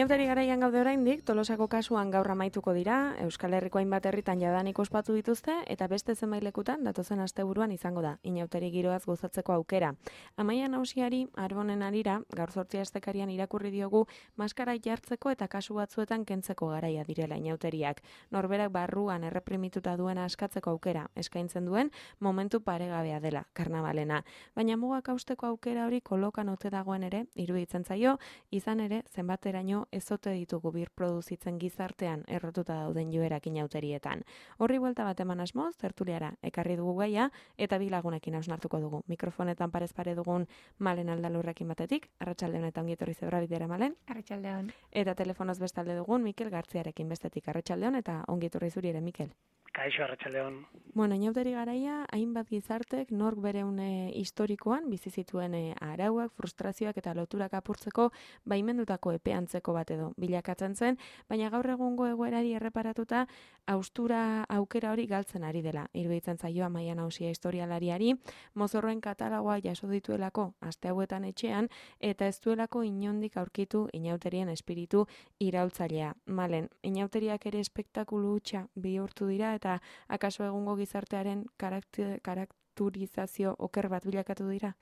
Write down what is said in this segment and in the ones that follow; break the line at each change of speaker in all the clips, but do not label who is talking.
Inauteri garaian gaude oraindik, Tolosako kasuan gaur amaituko dira, Euskal Herriko hainbat herritan jadanik ospatu dituzte, eta beste zenbait lekutan datozen asteburuan izango da, inauteri giroaz gozatzeko aukera. Amaia Nausiari, Arbonen arira, gaur 8 astekarian irakurri diogu, maskara jartzeko eta kasu batzuetan kentzeko garaia direla inauteriak. Norberak barruan erreprimituta duena askatzeko aukera, eskaintzen duen, momentu paregabea dela, karnabalena. Baina mugak hausteko aukera hori kolokan ote dagoen ere, iruditzen zaio, izan ere, zenbateraino ezote ditugu birproduzitzen gizartean errotuta dauden joerak inauterietan. Horri buelta bat eman asmoz, tertuliara ekarri dugu gaia, eta bi lagunekin hausnartuko dugu. Mikrofonetan parez pare dugun Malen Aldalurrekin batetik, arratsaldeon eta ongi etorri Zebrabidera Malen.
Arratsaldeon.
Eta telefonoz bestalde dugun Mikel Gartziarekin bestetik, arratsaldeon eta ongi etorri zuri ere, Mikel.
Kaixo, arratsaldeon.
Bueno, inauteri garaia, hainbat gizartek nork bere une historikoan bizi zituen arauak, frustrazioak eta loturak apurtzeko baimendutako epeantzeko bat edo bilakatzen zen, baina gaur egungo egoerari erreparatuta haustura aukera hori galtzen ari dela. Iruditzen zaio Amaia Nausia historialariari, mozorroen katalogoa jaso dituelako aste hauetan etxean eta ez duelako inondik aurkitu inauterien espiritu iraultzailea. Malen, inauteriak ere espektakulu hutsa bihurtu dira eta akaso egungo gizartearen karakterizazio oker bat bilakatu dira?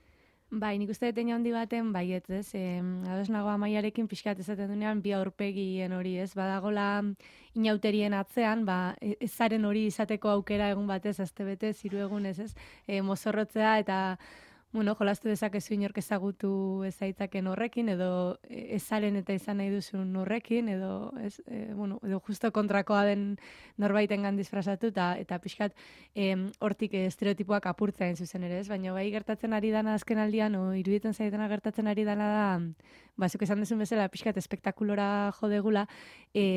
Bai, nik uste dut handi baten baiet, ez? Ados nago Amaiarekin pixkat ezaten dunean bi aurpegien hori, ez? Badagola inauterien atzean, ezaren hori izateko aukera egun batez, astebete, 3 egunez, ez? Mozorrotzea eta jolastu dezakezu inork ezagutu ezaitzaken horrekin, edo ezaren eta izan nahi duzun horrekin, edo justo kontrakoa den norbaitengan disfrazatu, eta pixkat hortik estereotipoak apurtzean zuzen ere, ez? Baina bai gertatzen ari dana azken aldian, iruditzen zaitena gertatzen ari dana da, bazuk esan duzun bezala, pixkat espektakulora jodegula,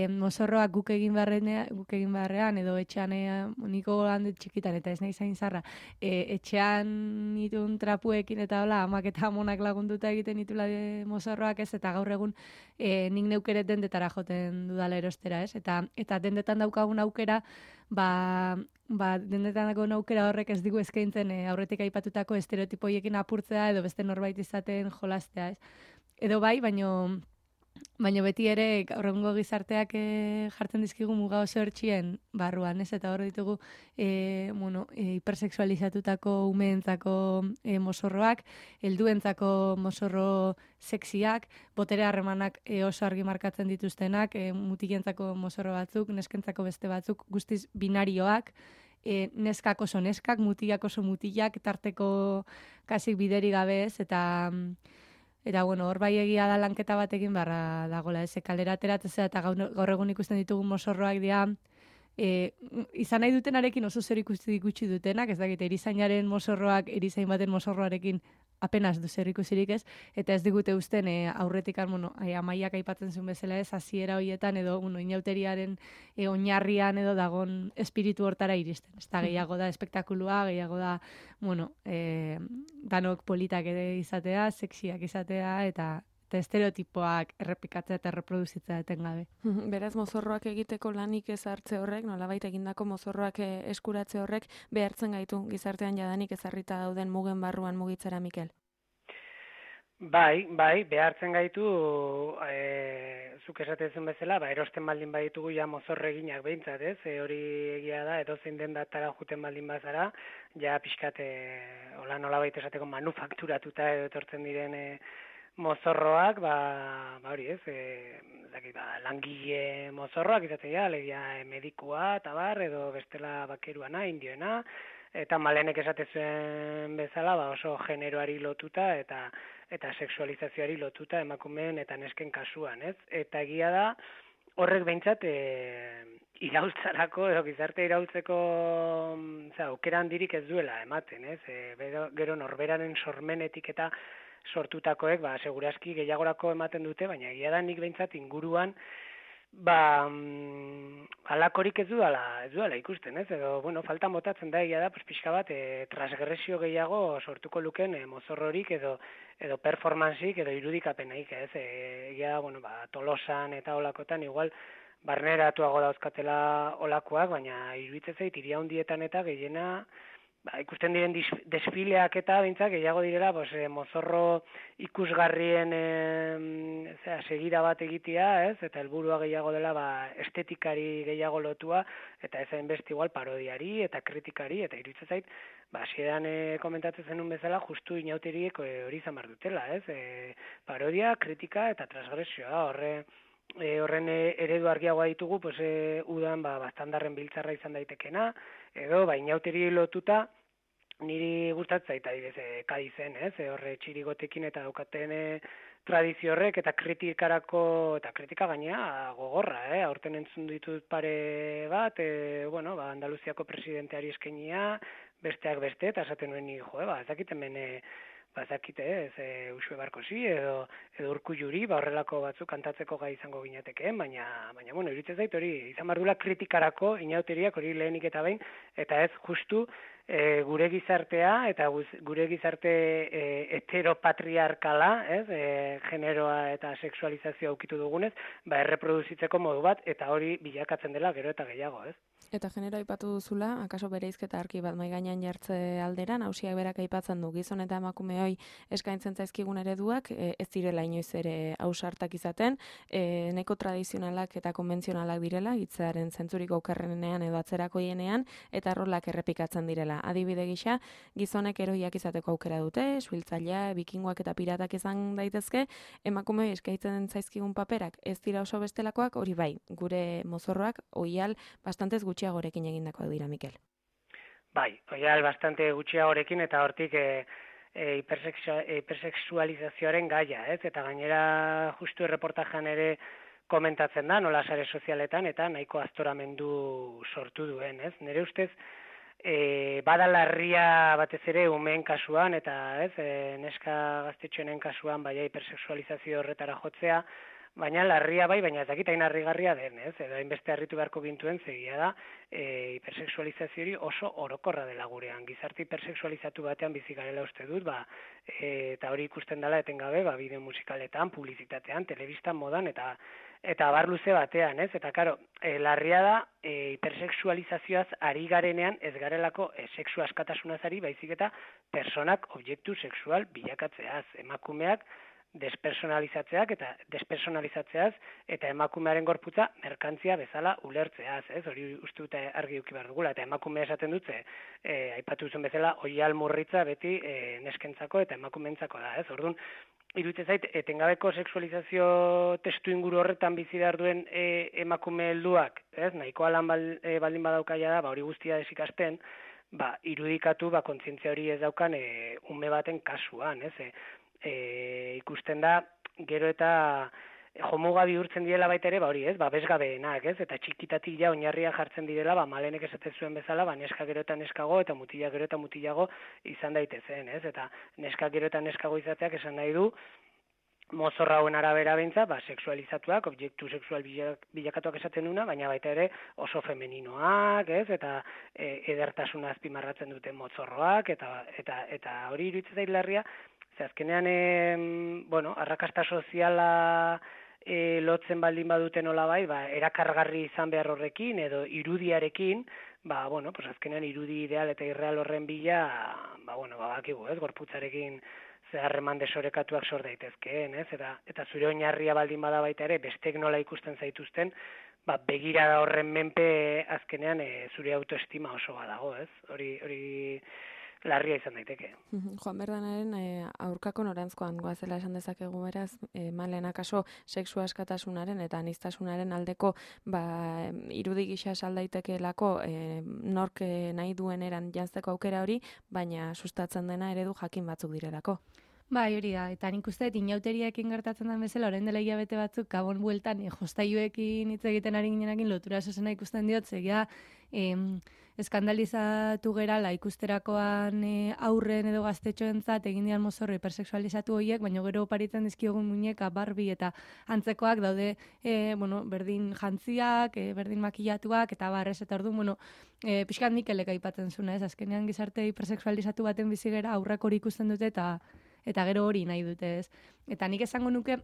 mozorroak guk egin beharrean, edo etxean, niko handet txikitan, eta ez nahi zain zarra, etxean itun trapuekin eta hola, amak eta amonak lagunduta egiten ditula mozorroak, ez, eta gaur egun nik neukeret dendetara joten dudala erostera, ez, eta dendetan daukagun aukera, dendetan daukagun aukera horrek ez digu eskaintzen aurretik aipatutako estereotipoiekin apurtzea edo beste norbait izaten jolastea, ez. Edo bai, baina beti ere gaur egungo gizarteak jartzen dizkigu muga oso hertsien barruan, ez? Eta hor ditugu hipersexualizatutako umeentzako mozorroak, helduentzako mozorro sexiak, botere harremanak oso argi markatzen dituztenak, mutilentzako mozorro batzuk, neskentzako beste batzuk, guztiz binarioak, neskak oso neskak, mutilak oso mutilak, tarteko kasik bideri gabe, ez? Eta hor bai egia da lanketa bat egin barra dagoela, ez, kalera ateratzea eta gaur egun ikusten ditugun mozorroak dira, izan nahi dutenarekin oso zer ikusi gutxi dutenak, ez dakit, erizainaren mozorroak, erizain baten mozorroarekin apenas du zer ikusirik, ez, eta ez digute usten aurretikan, Amaiak aipatzen zuen bezala, ez, hasiera horietan edo inauteriaren oinarrian edo dagon espiritu hortara iristen. Ez da, gehiago da espektakulua, gehiago da, danok politak ere izatea, sexiak izatea, eta estereotipoak errepikatzea eta reproduzitzea etengabe.
Beraz, mozorroak egiteko lanik ez hartze horrek, nolabait egindako mozorroak eskuratze horrek behartzen gaitu gizartean jadanik ezarrita dauden mugen barruan mugitzera, Mikel?
Bai, behartzen gaitu, zuk esatezen bezala, erosten baldin baditugu ja mozorro eginak behintzat, ez? Hori egia da, edozein dendatara juten baldin bazara, ja pixkat, nolabait esateko manufakturatuta edo etortzen diren mozorroak, hori ez, langile mozorroak izaten ja, alegia medikua, tabar, edo bestela bakeruana, indioena, eta Malenek esatezuen bezala, oso generoari lotuta eta sexualizazioari lotuta emakumeen eta nesken kasuan, ez? Eta egia da, horrek behintzat iraultzarako, edo gizarte iraultzeko aukera handirik ez duela ematen, ez? Gero norberaren sormenetik eta sortutakoek, segurazki gehiagorako ematen dute, baina egia da nik behintzat inguruan, halakorik ez duela ikusten, ez? Edo, falta motatzen da egia da, pixka bat, transgresio gehiago sortuko luken mozorrorik edo performanceik edo irudikapenaik, ez? Egia da, Tolosan eta olakotan, igual, barneratuago dauzkatela olakoak, baina iruditzen zait, hiri handietan eta gehiena ikusten diren desfileak eta bintzak gehiago direla, mozorro ikusgarrien segira bat egitea, ez? Eta helburua gehiago dela estetikari gehiago lotua, eta ez hainbeste igual parodiari eta kritikari, eta iruditzen zait, hasieran komentatzen zenun bezala, justu inauteriek hori izan behar dutela, ez? Parodia, kritika eta transgresioa, horren eredu argiagoa ditugu, udan bastandarren biltzarra izan daitekena, edo inauteri lotuta, niri gustatzen zaita Kadizen, ez? Horre txirigotekin eta daukaten tradizio horrek eta kritikarako, eta kritika gainea gogorra, aurten entzun ditut pare bat, Andaluziako presidenteari eskenia, besteak beste, eta esaten nuen ni, ez dakit hemen, ez dakit, Uxue Barkosi edo Urkulluri, horrelako batzuk kantatzeko gai izango ginatekeen, baina iruditzen zait hori, izan bardula kritikarako inauteriak hori lehenik eta behin, eta ez justu gure gizartea eta gure gizarte heteropatriarkala, generoa eta sexualizazioa ukitu dugunez, erreproduzitzeko modu bat, eta hori bilakatzen dela gero eta gehiago, ez?
Eta genero aipatu duzula, akaso bereizketa argi bat mahai gainean jartze aldera, nausiak berak aipatzen du gizon eta emakumeoi eskaintzen zaizkigun ereduak, ez direla inoiz ere ausartak izaten, neko tradizionalak eta konbentzionalak direla, hitzaren zentzurik okerrenean edo atzerakoienean, eta rolak errepikatzen direla. Adibide gisa, gizonek eroiak izateko aukera dute, suhiltzailea, bikingoak eta piratak izan daitezke, emakumeoi eskaintzen zaizkigun paperak ez dira oso bestelakoak, hori bai, gure mozorroak ohial bastantez gutxiagorekin egindakoak dira, Mikel.
Bai, ohial bastante gutxiagorekin eta hortik hipersexualizazioaren gaia, ez? Eta gainera justu erreportajean ere komentatzen da, nola sare sozialetan, eta nahiko aztoramendu sortu duen, ez? Nire ustez, bada larria batez ere umeen kasuan, eta neska gaztetxoenen kasuan hipersexualizazio horretara jotzea, baina larria bai, baina ez dakit hain harrigarria den, ez? Edo hainbeste harritu beharko gintuen zegia da, hipersexualizazio hori oso orokorra dela gurean. Gizarte hipersexualizatu batean bizi garela uste dut, eta hori ikusten dela etengabe, bideo musikaletan, publizitatean, telebistan, modan, eta abar luze batean, ez? Eta karo, larria da, hipersexualizazioaz ari garenean ez garelako sexu askatasunaz ari, baizik eta personak objektu sexual bilakatzeaz, emakumeak despersonalizatzeaz eta emakumearen gorputza merkantzia bezala ulertzeaz, ez? Hori uste dute argi eduki behar dugula, eta emakumea esaten dutze, aipatu zuen bezala, ohial murritza beti neskentzako eta emakumeentzako da, ez? Orduan, iruditzen zait, etengabeko sexualizazio testu inguru horretan bizi behar duen emakume helduak, ez? Nahikoa lan baldin badaukaia da, hori guztia desikasten, irudikatu, kontzientzia hori ez daukan ume baten kasuan, ez? Ikusten da, gero eta jomuga bihurtzen direla baita ere, hori ez, bezgabeenak, ez? Eta txikitatik ja oinarria jartzen direla, Malenek esaten zuen bezala, neska gero eta neskago, eta mutila gero eta mutilago izan daitezen, ez? Eta neska gero eta neskago izateak esan nahi du, mozorra hauen arabera beintza, sexualizatuak, objektu sexual bilakatuak esaten duna, baina baita ere oso femeninoak, ez? Eta edertasuna azpimarratzen duten mozorroak, eta hori iruditzen zait larria, azkenean, arrakasta soziala lotzen baldin badute nolabai, erakargarri izan behar horrekin, edo irudiarekin, azkenean irudi ideal eta irreal horren bila, bakigu, ez, gorputzarekin zeharreman desorekatuak sor daitezkeen, ez, eta zure oinarria baldin bada baita ere, bestek nola ikusten zaituzten, begirada horren menpe azkenean zure autoestima oso badago, ez, hori larria izan daiteke.
Juan Berdanaren aurkako norantzkoan goazela esan dezakegu beraz, Malen akaso sexu askatasunaren eta aniztasunaren aldeko irudi gisa saldaitekelako nork nahi duen eran jantzeko aukera hori, baina sustatzen dena eredu jakin batzuk direlako.
Bai, hori da, eta nik uste inauteriaekin gertatzen den bezala, orain dela hilabete batzuk, gabon bueltan, jostailuekin hitz egiten ari ginenakin lotura zuzena ikusten diot, zegia, eskandalizatu gerala ikusterakoan aurren edo gaztetxoentzat egin dian mozorro hipersexualizatu horiek, baina gero oparitzen dizkiogun muñeka, Barbie eta antzekoak daude, berdin jantziak, berdin makillatuak, eta barrez, eta orduan, pixkat Mikelek aipatzen zuna, ez, azkenean gizarte hipersexualizatu baten bizigera aurrak hori ikusten dute, eta gero hori nahi dute, ez. Eta nik esango nuke,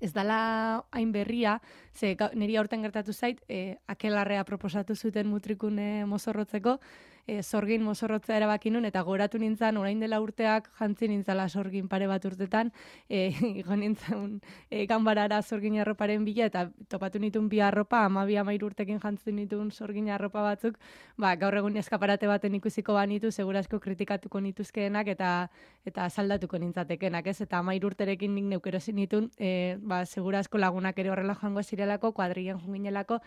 ez dala hain berria, ze niri aurten gertatu zait, akelarrea proposatu zuten mutrikune mozorrotzeko, sorgin mozorrotzea erabaki nun, eta goratu nintzen, orain dela urteak jantzi nintzala sorgin pare bat urtetan, igo nintzen ganbarara sorgin arroparen bila, eta topatu nituen bi arropa, 12-13 urtekin jantzi nituen sorgin arropa batzuk, gaur egun eskaparate baten ikusiko banitu, segurazko kritikatuko nituzkeenak, eta saldatuko nintzatekenak, ez? Eta 13 urterekin nik neukerosin nituen, segurazko lagunak ere horrela joango zirelako, kuadrilen junginelako,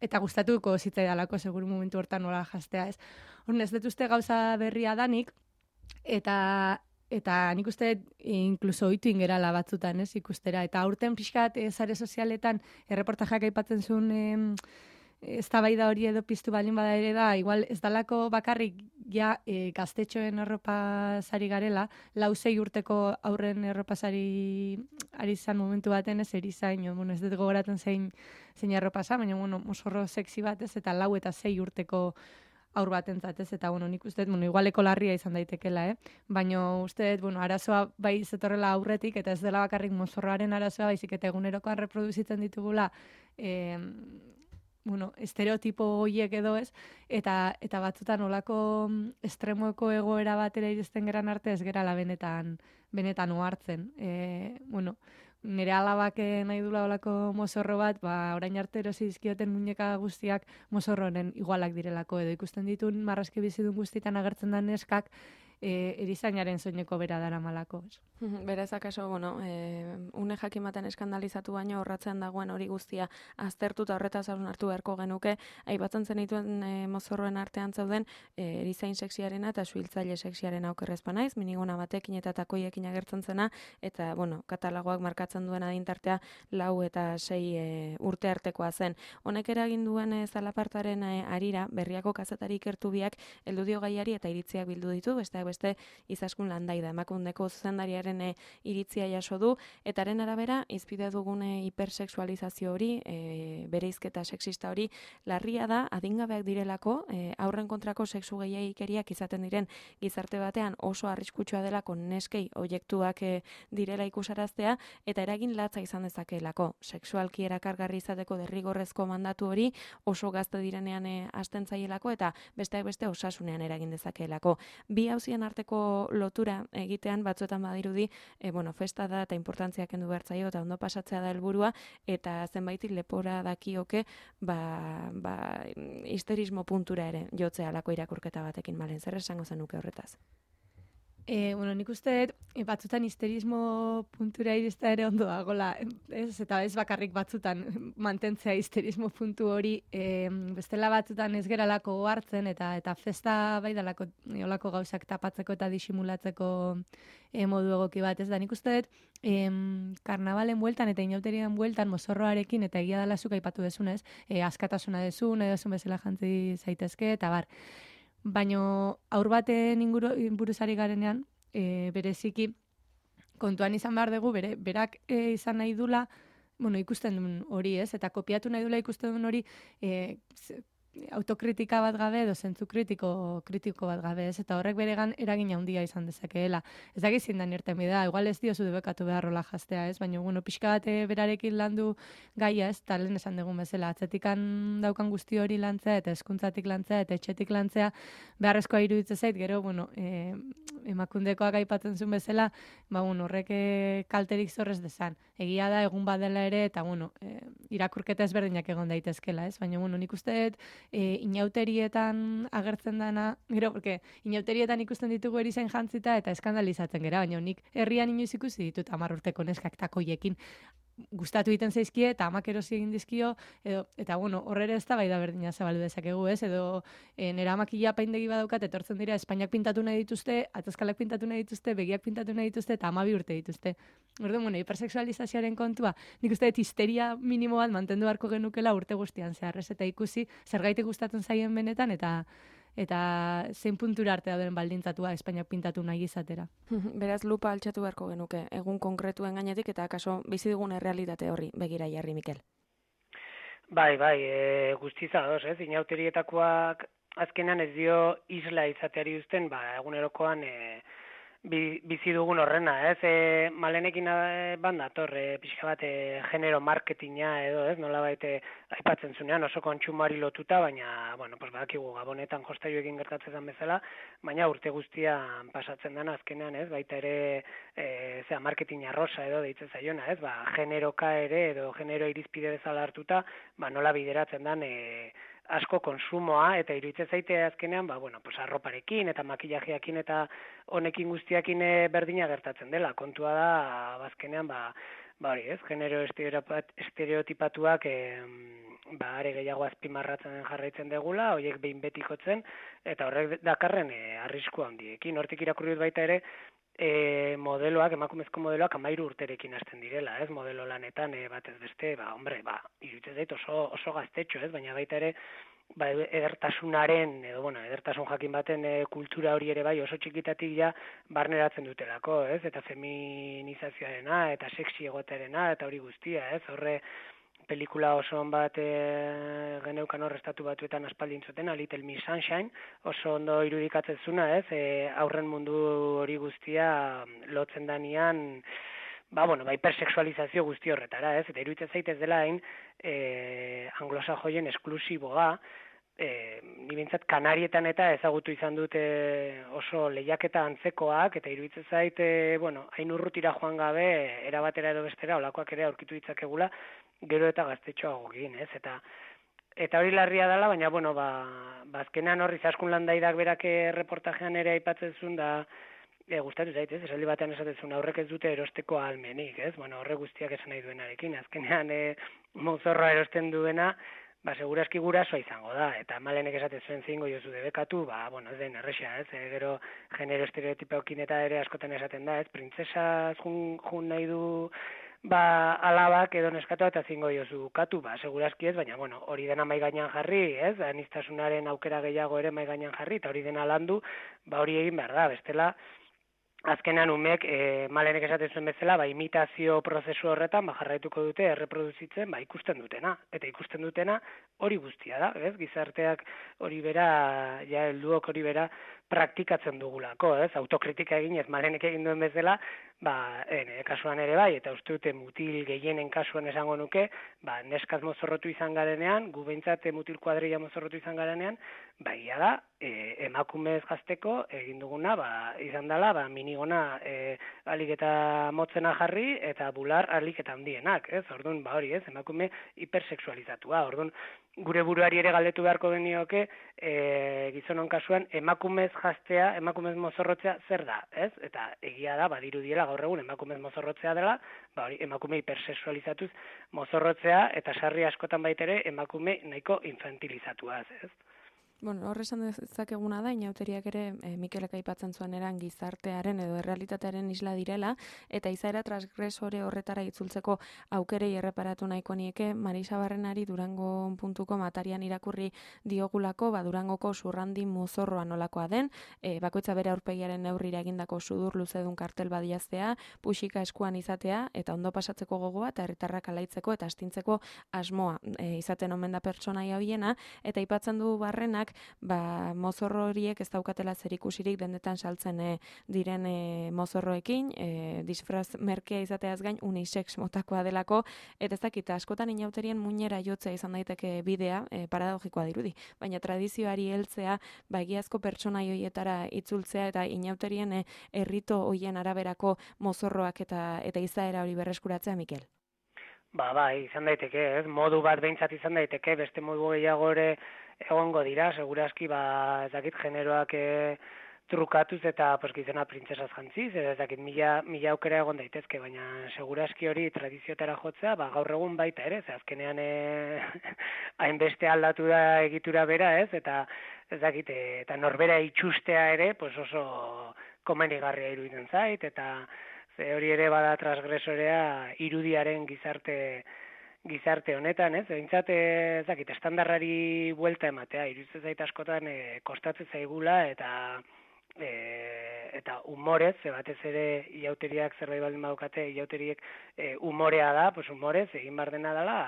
eta gustatuko zitzaidalako seguru momentu hortan nola jastea, ez? Horren ez dut uste gauza berria danik, eta nik uste inkluso ohitu ingerala batzutan, ez, ikustera. Eta aurten pixkat sare sozialetan erreportajak aipatzen zuen eztabaida hori edo piztu balin bada ere da, igual ez dalako bakarrik ja gaztetxoen erropasari garela, 4-6 urteko aurren erropasari ari zan momentu baten, ez erizain, ez dut gogoratzen zein erropasa, baina mozorro sexy bat, ez, eta 4 eta 6 urteko aur batentzat, ez, eta nik uste, igualeko larria izan daitekela, baina uste, arazoa bai zetorrela aurretik, eta ez dela bakarrik mozorroaren arazoa, baizik eta egunerokoan reproduzitzen ditugula, estereotipo horiek edo ez, eta batzutan olako estremoeko egoera batera iristen geran arte ez gerala benetan ohartzen. Nire alabak nahi dula olako mozorro bat, orain arte erosi dizkioten muñeka guztiak mozorroren igualak direlako, edo ikusten ditun marrazki bizidun guztietan agertzen da neskak, erizainaren soineko bera dara malako.
Beraz, akaso, une jakimaten eskandalizatu baino horratzean dagoen hori guztia aztertuta horretaz hartu beharko genuke, aipatzen zenituen mozorroen artean zauden erizain sexiarena eta suhiltzaile sexiarena okerrezpa naiz, minigona batekin eta takoiekin agertzen zena, eta, katalogoak markatzen duen adintartea 4 eta 6 urte artekoa zen. Honek eragin duen zalapartaren arira, berriako kazetari ikertu biak heldu dio gaiari eta iritziak bildu ditu, beste Izaskun Landaida, Emakundeko zuzendariaren iritzia jaso du, eta haren arabera, izpide dugune hipersexualizazio hori, bereizketa sexista hori, larria da, adingabeak direlako, aurren kontrako sexu gehiagikeriak izaten diren gizarte batean oso arriskutsua delako neskei oiektuak direla ikusaraztea, eta eragin latza izan dezakeelako. Sexualki erakargarri izateko derrigorrezko mandatu hori oso gazte direnean hasten zaielako, eta besteak beste osasunean eragin dezakeelako. Bi hauzien arteko lotura egitean batzuetan badirudi, festa da eta importantzia kendu behar zaio eta ondo pasatzea da helburua, eta zenbaiti lepora dakioke histerismo puntura ere jotzea alako irakurketa batekin. Malen, zer esango zenuke horretaz?
Nik uste batzutan histerismo puntura iristea ere ondo dagoela, eta ez bakarrik batzutan mantentzea histerismo puntu hori, bestela batzutan ez geralako hartzen, eta festa bai dalako olako gauzak tapatzeko eta disimulatzeko modu egoki bat, ez da, nik uste karnabalen bueltan eta inauterian bueltan mozorroarekin, eta egia dela zuk aipatu dezunez, askatasuna dezun, edo zun bezala jantzi zaitezke, eta bar. Baina aur baten buruzari garenean, bereziki kontuan izan behar dugu, berak izan nahi dula, ikusten duen hori, ez? Eta kopiatu nahi dula ikusten duen hori, autokritika bat gabe edo zentzu kritiko bat gabe, ez? Eta horrek beregan eragin handia izan dezakeela. Ez da gizien da nirten bida, igual ez diozu debekatu beharrola jastea, ez? Baina, pixka bat berarekin landu gaia, ez? Eta lehen esan dugun bezala, atzetikan daukan guzti hori lantzea, eta eskuntzatik lantzea, eta etxetik lantzea, beharrezkoa iruditzen zait, gero, emakundekoak aipatzen zuen bezala, horrek kalterik zorrez dezan. Egia da, egun badela ere, eta, irakurketa ezberdinak egon daitezkela, ez? Baina, nik uste inauterietan agertzen dana, gero, porque inauterietan ikusten ditugu erizain jantzita eta eskandalizatzen gera, baina nik herrian inoiz ikusi ditut 10 urteko neskak takoiekin gustatu egiten zaizkie eta amak erosi egin dizkio, eta horrere ez da bai da berdina zabaldu dezakegu, ez? Edo nera makila apaindegi badaukat, etortzen dira Espainiak pintatu nahi dituzte, atazkalak pintatu nahi dituzte, begiak pintatu nahi dituzte, eta 12 urte dituzte. Orduan, hipersexualizazioaren kontua, nik uste dut histeria minimo bat mantendu beharko genukela urte guztian zehar, ez? Eta ikusi, zergaitik gustatzen zaien benetan, eta zein puntura arte dauden baldintzatua Espainiak pintatu nahi izatera.
Beraz, lupa altxatu beharko genuke, egun konkretuen gainetik, eta akaso bizi dugun errealitate horri begira jarri, Mikel.
Bai, guztiza doz, ez? Inauterietakoak azkenan ez dio isla izateari uzten, egunerokoan bizi dugun horrena, ez? Malenekin ban dator, pixka bat genero marketinga edo, ez? Nolabait aipatzen zunean oso kontsumari lotuta, baina, bueno, pues badakigu gabonetan jostailuekin gertatzen den bezala, baina urte guztian pasatzen dena azkenean, ez? Baita ere, marketing arrosa edo deitzen zaiona, ez? Generoka ere edo genero irizpide bezala hartuta, nola bideratzen den asko konsumoa, eta iruditzen zaite azkenean, pues arroparekin eta makillajeekin eta honekin guztiakin berdina gertatzen dela. Kontua da, azkenean, hori, ez, genero estereotipatuak are gehiago azpimarratzen jarraitzen degula, horiek behin betikotzen, eta horrek dakarren arrisku handiekin. Hortik irakurri dut baita ere, modeloak, emakumezko modeloak 13 urterekin hasten direla, ez, modelo lanetan batez beste, iruditzen zait oso gaztetxo, ez, baina baita ere, edertasunaren, edertasun jakin baten kultura hori ere bai oso txikitatik ja barneratzen dutelako, ez, eta feminizazioarena, eta sexy egoterena, eta hori guztia, ez, horre, pelikula oso bat geneukan hor Estatu Batuetan aspaldi entzuten, A Little Miss Sunshine, oso ondo irudikatzen zuna, ez, aurren mundu hori guztia lotzen danean, hipersexualizazio guzti horretara, ez, eta iruditzen zaitez dela hain anglosajoien esklusiboa, ni bintzat Kanarietan eta ezagutu izan dute oso lehiaketa antzekoak, eta iruditzen zait, hain urrutira joan gabe, erabatera edo bestera, olakoak ere aurkitu ditzakegula, gero eta gaztetxoago egin, ez, eta hori larria dela, baina, azkenean horri Zaskun Landaidak berak reportajean ere aipatzen zuen da, gustatu zaitez, esaldi batean esaten zuen, aurrek ez dute erosteko ahalmenik, ez, horre guztiak esan nahi duenarekin, azkenean mozorroa erosten duena, segurazki gurasoa izango da, eta Malenek esaten zuen zingo jozu debekatu, ez den erresa, ez, gero genero estereotipoekin eta ere askotan esaten da, ez, printzesaz jun nahi du, alabak edo neskatu eta zingo jozu katu, segurazki ez, baina, hori dena mai gainean jarri, ez, aniztasunaren aukera gehiago ere mai gainean jarri, eta hori dena landu, hori egin behar da, bestela, azkenean umek, Malenek esaten zuen bezala, imitazio prozesu horretan, jarraituko dute erreproduzitzen, ikusten dutena. Eta ikusten dutena hori guztia da, ez? Gizarteak hori bera, helduok hori bera praktikatzen dugulako, ez? Autokritika egin ez Malenek egin duen bezala, kasuan ere bai, eta uste dute mutil gehienen kasuan esango nuke, neskaz mozorrotu izan garenean, gu behintzat mutil kuadrilla mozorrotu izan garenean, ia da, emakumez gazteko egin duguna, izan dela, minigona alik eta motzena jarri, eta bular alik eta handienak, ez? Orduan, hori, ez? Emakume hipersexualizatua, orduan, gure buruari ere galdetu beharko genioke, gizonon kasuan, emakumez jaztea, emakumez mozorrotzea zer da, ez? Eta egia da, badirudiela gaur egun emakumez mozorrotzea dela, hori, emakume hipersexualizatuz mozorrotzea, eta sarri askotan baitere emakume nahiko infantilizatua, ez?
Hor esan dezakeguna da, inauteriak ere Mikelek aipatzen zuen eran gizartearen edo errealitatearen isla direla, eta izaera transgresore horretara itzultzeko aukerei erreparatu nahiko nieke, Marisa Barrenari Durango.com atarian irakurri diogulako, Durangoko zurrandi mozorroa nolakoa den, bakoitza bere aurpegiaren neurrira egindako sudur luzedun kartel badiaztea, puxika eskuan izatea, eta ondo pasatzeko gogoa, eta herritarrak alaitzeko eta astintzeko asmoa izaten omen da pertsonaia hoiena, eta aipatzen du Barrenak, mozorro horiek ez daukatela zerikusirik dendetan saltzen diren mozorroekin, disfraz merkea izateaz gain unisex motakoa delako, eta ez dakit, askotan inauterien muinera jotzea izan daiteke bidea, paradogikoa dirudi, baina tradizioari heltzea, egiazko pertsonai hoietara itzultzea, eta inauterien errito hoien araberako mozorroak eta izaera hori berreskuratzea, Mikel?
Izan daiteke, ez? Modu bat behintzat izan daiteke, beste modu gehiago ere egongo dira, segurazki, ez dakit, generoak trukatuz eta gizona printzesaz jantziz, ez dakit, mila aukera egon daitezke, baina segurazki hori tradiziotara jotzea, gaur egun baita ere, azkenean hainbeste aldatu da egitura bera, ez? Eta ez dakit, eta norbera itxustea ere, oso komenigarria iruditzen zait, eta hori ere bada transgresorea irudiaren gizarte honetan, ez? Behintzat, ez dakit, estandarrari buelta ematea, iruditzen zait askotan kostatzen zaigula, eta humorez, batez ere iauteriak zerbait baldin badukate, iauteriek humorea da, humorez egin behar dena dela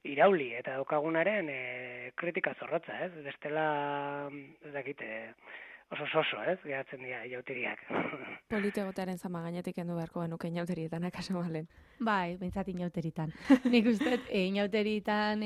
irauli, eta daukagunaren kritika zorrotza, ez? Bestela, ez dakit, oso, ez, geratzen dira inauteriak.
Polite egotearen zama gainetik kendu beharko genuke inauterietan, akaso malen.
Bai, behintzat inauteritan. Nik uste, inauteritan,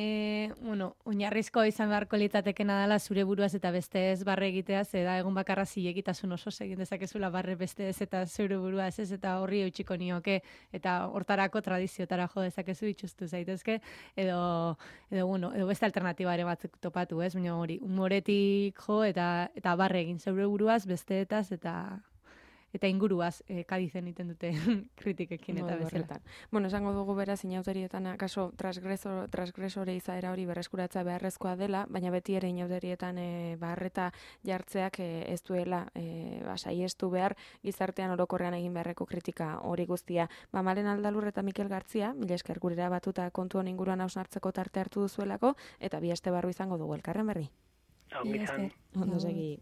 oinarrizko izan beharko litzatekena dela zure buruaz eta beste ez barre egitea, da egun bakarra zilegitasun oso egin dezakezula barre beste ez eta zure buruaz ez eta horri eutxiko nioke eta hortarako tradiziotara jo dezakezu itxustu zaitezke edo beste alternatiba ere batzuk topatu, ez? Baina hori, humoretik jo eta barre egin zeure buruaz besteetaz eta inguruaz Kadizen iten dute kritikekin eta bezala.
Bueno, esango dugu beraz inauterietan akaso transgresore izaera hori berreskuratzea beharrezkoa dela, baina beti ere inauterietan barreta jartzeak ez duela saiestu behar gizartean orokorrean egin beharreko kritika hori guztia. Malen Aldalur eta Mikel Gartzia, mila esker gurera batuta kontu hon inguruan hausnartzeko tarte hartu duzuelako, eta bi aste barru izango dugu elkarren berri.
Ongi izan.
Ondo segi.